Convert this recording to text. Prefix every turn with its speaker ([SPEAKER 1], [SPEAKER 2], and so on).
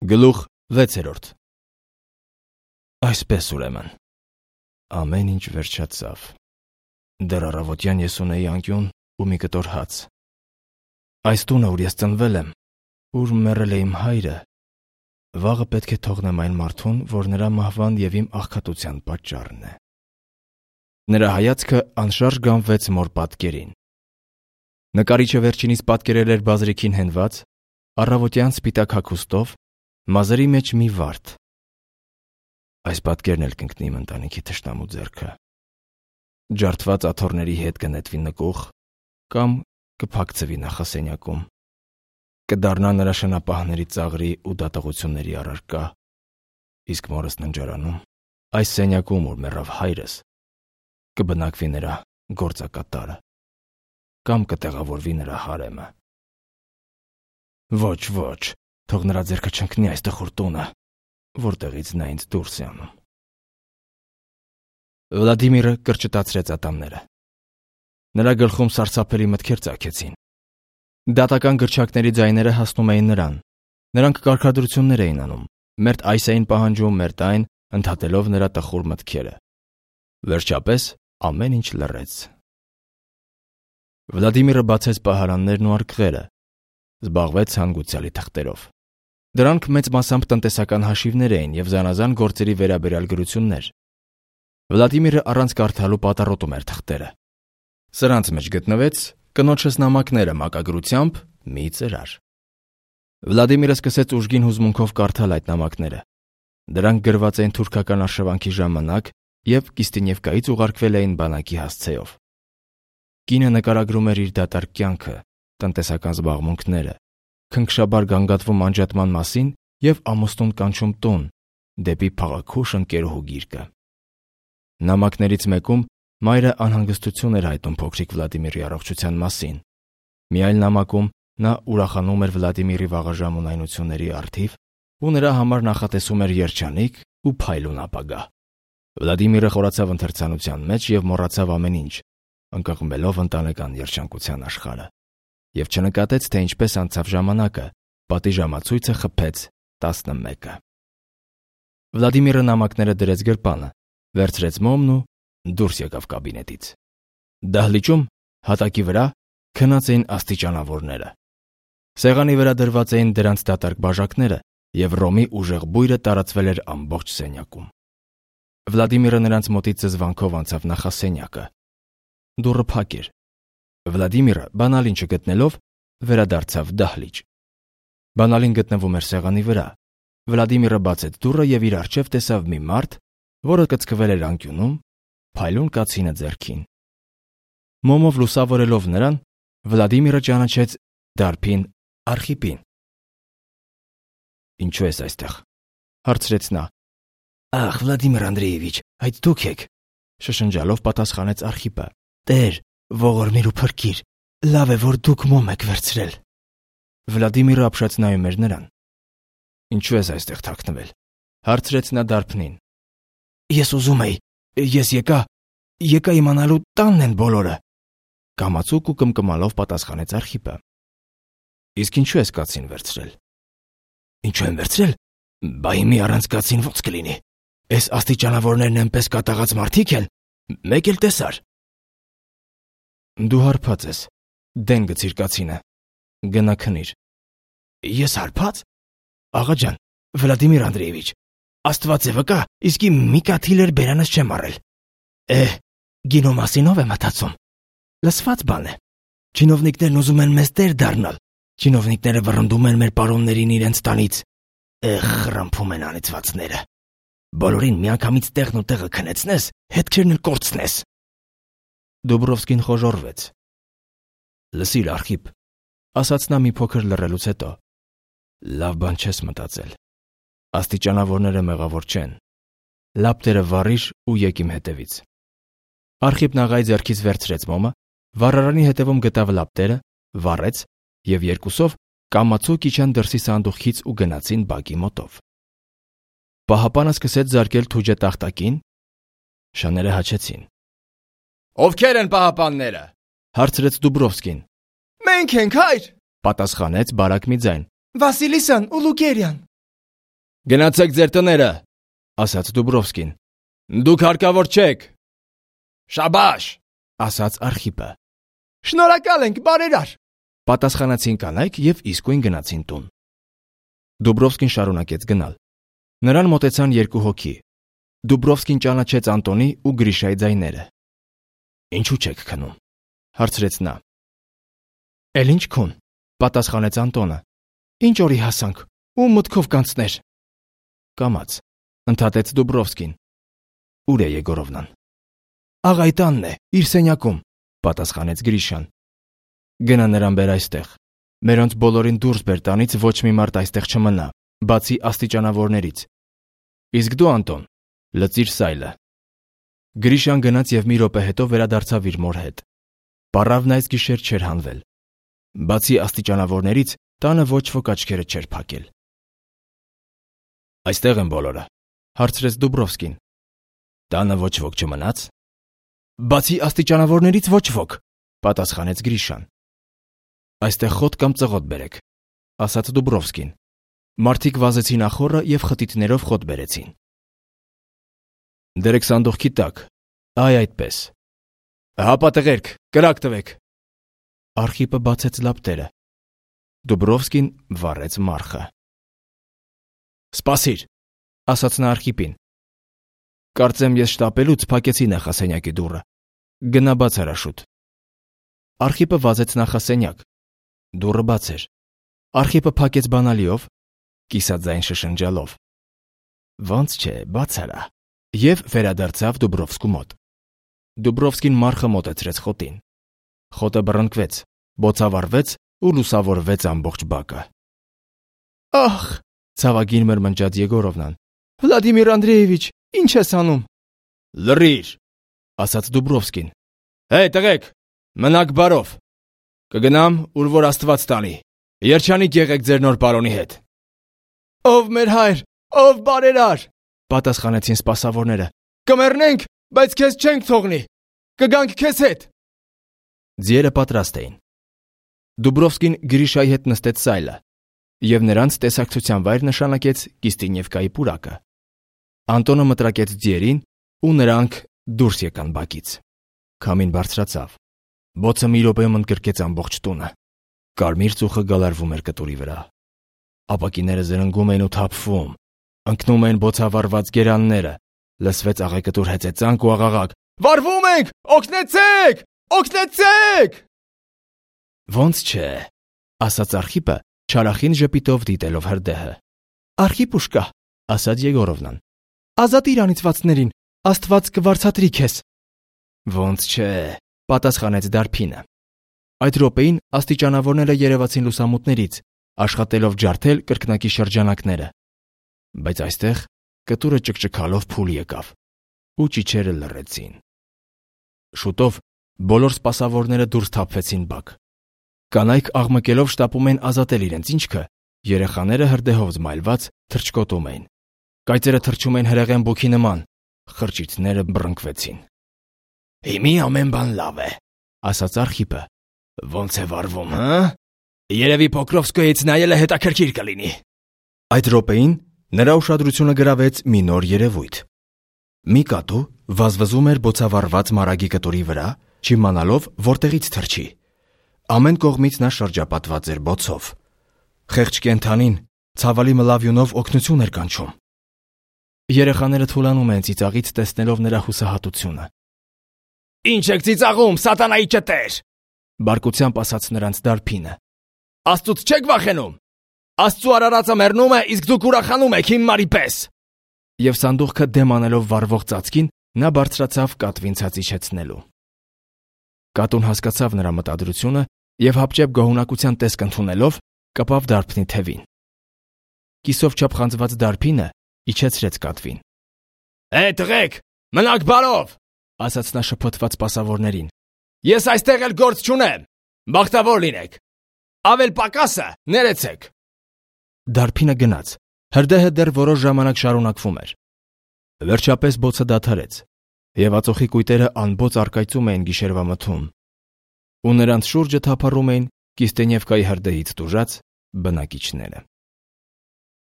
[SPEAKER 1] Գլուխ 6. Այսպես ուրեմն, ամեն ինչ վերջացավ։ Դեռ առավոտյան ես ունեի անկյուն ու մի կտոր հաց։ Այս տունը, ուր ես ծնվել եմ, ուր մեռել է իմ հայրը, վաղը պետք է թողնեմ այն մարդուն, որ նրա մահվան և իմ աղքատության պատճառն է։ Նրա հայացքը անշարժ գանվեց մոր պատկերին։ Նկարիչը վերջինիս պատկերել էր բազրիքին հենված, առավոտյան սպիտակ հագուստով, մազերի մեջ մի վարդ։ Այս պատկերն էլ կընկնի իմ ընտանիքի թշնամու ձեռքը։ Ջարդված աթոռների հետ կնետվի նկուղ կամ կփակցվի նախասենյակում։ Կդառնա նրա շնապահների ծաղրի ու դատողությունների առարկա, իսկ մորս ննջարանում, այս սենյակում, ուր մեռավ հայրս, կբնակվի նրա գործակատարը կամ կտեղավորվի նրա հարեմը։ Ոչ, թող նրա ձեռքը չընկնի այս տխուր տունը, որտեղից նա ինձ դուրս է անում։ Վլադիմիրը կրճտացրեց ատամները։ Նրա գլխում սարսափելի մտքեր ծագեցին։ Դատական գրչակների ձայները հասնում էին նրան։ Նրանք կարգադրություններ էին անում, մերթ այս էին պահանջում, մերթ այն, ընդհատելով նրա տխուր մտքերը։ Վերջապես ամեն ինչ լռեց։ Վլադիմիրը բացեց պահարաններն ու արկղերը, զբաղվեց հանգուցյալի թղթերով։ Դրանք մեծ մասամբ տնտեսական հաշիվներ էին և զանազան գործերի վերաբերյալ գրություններ։ Վլադիմիրը առանց կարդալու պատառոտում էր թղթերը։ Սրանց մեջ գտնվեց կնոջս նամակները մակագրությամբ մի ծրար։ Վլադիմիրը սկսեց ուժգին հուզմունքով կարդալ այդ նամակները։ Դրանք գրված էին թուրքական արշավանքի ժամանակ և Կիստինևկայից ուղարկվել էին բանակի հասցեով։ Կինը նկարագրում էր իր դատարկ կյանքը, տնտեսական զբաղմունքները, քնքշաբար գանգատվում անջատման մասին և ամուսնուն կանչում տուն, դեպի փաղաքուշ ընկերուհու գիրկը։ Նամակներից մեկում մայրը անհանգստություն էր հայտնում փոքրիկ Վլադիմիրի առողջության մասին։ Մի այլ նամակում նա ուրախանում էր Վլադիմիրի վաղաժամ ունայնությունների առթիվ ու նրա համար նախատեսում էր երջանիկ ու փայլուն ապագա։ Վլադիմիրը խորացավ ընթերցանության մեջ և մոռացավ ամեն ինչ, ընկղմելով ընտանեկան երջանկության աշխարհը, և չնկատեց, թե ինչպես անցավ ժամանակը, պատիժամացույցը խփեց 11-ը։ Վլադիմիրը նամակները դրեց գրպանը, վերցրեց մոմն ու դուրս եկավ կաբինետից։ Դահլիճում, հատակի վրա, քնած էին աստիճանավորները։ Սեղանի վրա դրված էին դրանց դատարկ բաժակները, և ռոմի ուժեղ բույրը տարածվել էր ամբողջ սենյակում։ Վլադիմիրը նրանց մոտից զզվանքով անցավ նախասենյակը։ Դուռը փակ էր։ Վլադիմիրը, բանալին չգտնելով, վերադարձավ դահլիճ։ Բանալին գտնվում էր սեղանի վրա։ Վլադիմիրը բացեց դուռը և իր առջև տեսավ մի մարդ, որը կծկվել էր անկյունում, փայլուն կացինը ձեռքին։ Մոմով լուսավորելով նրան, Վլադիմիրը ճանաչեց դարբին Արխիպին։ «Ինչու ես այստեղ?» հարցրեց նա։ «Ախ, Վլադիմիր Անդրեևիչ, այդ դուք եք», շշնջալով պատասխանեց Արխիպը։ «Տեր, ողորմիր ու փրկիր, լավ է, որ դուք մոմ եք վերցրել»։ Վլադիմիրը ապշած նայում էր նրան։ «Ինչու ես այստեղ թաքնվել?» հարցրեց նա դարբնին։ «Ես ուզում էի, ես եկա իմանալու տանն են բոլորը», կամացուկ ու կմկմալով պատասխանեց Արխիպը։ «Իսկ ինչու ես կացին վերցրել»։ «Ինչու եմ վերցրել։ Բա հիմի առանց կացին ո՞նց կլինի։ Էս աստիճանավորներն էնպես կատաղած մարդիկ են, մեկ էլ տեսար»։ «Դու հարբած ես, դեն գցիր կացինը, գնա քնիր»։ «Ես հարբա՞ծ։ Աղա ջան, Վլադիմիր Անդրեևիչ, Աստված է վկա, իսկի մի կաթիլ էր բերանս չեմ առել։ Գինո մասին ով է մտածում։ Լսված բան է։ Չինովնիկներն ուզում են մեզ տեր դառնալ։ Չինովնիկները վռնդում են մեր պարոններին իրենց տանից։ Խռմփում են անիծվածները։ Բոլորին միանգամից տեղն ու տեղը քնեցնես, հետքերն էլ կորցնես»։ Դուբրովսկին խոժոռվեց։ «Լսիր, Արխիպ», ասաց նա մի փոքր լռելուց հետո, «լավ բան չես մտածել։ Աստիճանավորները մեղավոր չեն։ Լապտերը վառիր ու եկ իմ հետևից»։ Արխիպն աղայի ձեռքից վերցրեց մոմը, վառարանի հետևում գտավ լապտերը, վառեց և երկուսով կամացուկ իջան դրսի սանդուղքից ու գնացին բակի մոտով։ Պահապանը սկսեց զարկել թուջը տախտակին։ Շաները հաչեցին։ «Ովքեր են պահապանները?» հարցրեց Դուբրովսկին։
[SPEAKER 2] «Մենք ենք, հայր»,
[SPEAKER 1] պատասխանեց բարակ մի ձայն։
[SPEAKER 2] «Վասիլիսան ու Լուկերյան»։
[SPEAKER 1] Գնացեք ձեր տները, ասաց Դուբրովսկին։ Դուք հարկավոր չեք։ Շաբաշ, ասաց Արխիպը։ Շնորհակալ ենք, բարերար, պատասխանեցին կանայք եւ իսկույն գնացին տուն։ Դուբրովսկին շարունակեց գնալ։ Նրան մոտեցան երկու հոգի։ Դուբրովսկին ճանաչեց Անտոնի ու Գրիշայի ձայները։ Ինչու չեք քնում, հարցրեց նա։ Էլ ինչ քուն, պատասխանեց Անտոնը։ Ինչ օրի հասանք, ու մտքով կանցներ։ Կամաց, ընդհատեց Դուբրովսկին։ Ուր է Եգորովնան։ Աղայի տանն է, իր սենյակում, պատասխանեց Գրիշան։ Գնա նրան բեր այստեղ։ Մերոնց բոլորին դուրս բեր տանից, ոչ մի մարդ այստեղ չմնա, բացի աստիճանավորներից։ Իսկ դու, Անտոն, լծիր սայլը։ Գրիշան գնաց եւ մի րոպե հետո վերադարձավ իր մոր հետ։ Պառավն այս գիշեր չէր հանվել։ Բացի աստիճանավորներից, տանը ոչ ոք աչքերը չէր փակել։ Այստեղ են բոլորը, հարցրեց Դուբրովսկին։ Տանը ոչ ոք չմնաց։ Բացի աստիճանավորներից ոչ ոք, պատասխանեց Գրիշան։ Այստեղ խոտ կամ ծղոտ բերեք, ասաց Դուբրովսկին։ Մարդիկ վազեցին ախորը եւ խտիտներով խոտ բերեցին։ Դերեք սանդուղքի տակ, այ այդպես։ Հապա տղերք, կրակ տվեք։ Արխիպը բացեց լապտերը։ Դուբրովսկին վառեց մարխը։ Սպասիր, ասաց նա Արխիպին։ Կարծեմ ես շտապելուց փակեցի նախասենյակի դուռը։ Գնա բաց հրաշուտ։ Արխիպը վազեց նախասենյակ։ Դուռը բաց էր։ Արխիպը փակեց բանալիով, կիսաձայն շշնջալով։ Ոնց չէ, բաց արա։ Եվ վերադարձավ Դուբրովսկու մոտ։ Դուբրովսկին մարխը մոտեցրեց խոտին։ Խոտը բռնկվեց, բոցավառվեց ու լուսավորվեց ամբողջ բակը։ Ախ, ցավագին մրմնջաց Եգորովնան։ Վլադիմիր Անդրեևիչ, ինչ ես անում։ Լռիր, ասաց Դուբրովսկին։ Հեյ, տղեկ, մնաք բարով։ Կգնամ, ուր որ Աստված տանի։ Երջանիկ եղեք ձեր նոր պարոնի հետ։ Ով մեր հայր, ով բարերար, պատասխանեցին սպասավորները։ Կմեռնենք, բայց քեզ չենք թողնի։ Կգանք քեզ հետ։ Ձիերը պատրաստ էին։ Դուբրովսկին Գրիշայի հետ նստեց սայլը եւ նրանց տեսակցության վայր նշանակեց Կիստինևկայի պուրակը։ Անտոնը մտրակեց ձիերին ու նրանք դուրս եկան բակից։ Քամին բարձրացավ։ Բոցը մի րոպեում ընդգրկեց ամբողջ տունը։ Կարմիր ծուխը գալարվում էր կտուրի վրա։ Ապակիները զրնգում էին ու թափվում։ Ընկնում էին բոցավառված գերանները։ Լսվեց աղեկտուր հեծեծանք ու աղաղակ. Վարվում ենք! Օգնեցեք! Օգնեցեք! Ոնց չէ, ասաց Արխիպը, չարախին ժպիտով դիտելով հրդեհը։ Արխիպուշկա, ասաց Եգորովնան։ Ազատ իրանիցվածներին, Աստված կվարձատրի քեզ։ Ոնց չէ, պատասխանեց Դարփինը։ Այդ րոպեին աստիճանավորները երևացին լուսամուտներից, աշխատելով ջարդել կրկնակի շրջանակները։ Բայց այստեղ կտուրը ճկճկալով փուլ եկավ ու ճիչերը լռեցին։ Շուտով բոլոր սպասավորները դուրս թափվեցին բակ։ Կանայք աղմկելով շտապում էին ազատել իրենց ինչքը, երեխաները հրդեհով զմայլված թռչկոտում էին։ Կայծերը թռչում էին հրեղեն բուքի նման, խրճիթները բռնկվեցին։ Հիմի ամեն բան լավ է, ասաց Արխիպը։ Ոնց է վարվում, հա? Երևի Պոկրովսկոյից նայելը հետաքրքիր կլինի։ Այդ րոպեին նրա ուշադրությունը գրավեց մի նոր երևույթ։ Մի կատու վազվզում էր բոցավառված մարագի կտուրի վրա, չիմանալով որտեղից թռչի։ Ամեն կողմից նա շրջապատված էր բոցով։ Խեղճ կենդանին ցավալի մլավյունով օգնություն էր կանչում։ Երեխաները թուլանում են ծիծաղից տեսնելով նրա հուսահատությունը։ Ինչ եք ծիծաղում, սատանայի ճտեր, բարկությամբ ասաց նրանց Դարփինը։ Աստծուց չեք վախենում։ Աստծու արարածը մեռնում է, իսկ դուք ուրախանում եք հիմարի պես։ Եվ սանդուղքը դեմ անելով վառվող ծածկին, նա բարձրացավ կատվին ցածիչեցնելու։ Կատուն հասկացավ նրա մտադրությունը եւ հապճեպ գոհունակության տեսք ընդունելով կպավ Դարփնի թևին։ Կիսով չափխանձված Դարփինը իջեցրեց կատվին։ Հե տղեկ, մնաք բարով, ասաց նա շփոթված սպասավորներին։ Ես այստեղ էլ գործ չունեմ։ Բախտավոր լինեք։ Ավել պակասը ներեցեք։ Դարփինը գնաց։ Հրդեհը դեռ որոշ ժամանակ շարունակվում էր։ Վերջապես բոցը դադարեց, եւ ածոխի կույտերը անբոց արկայծում էին գիշերվա մթում, ու նրանց շուրջը թափառում էին Կիստենևկայի հրդեհից տուժած բնակիչները։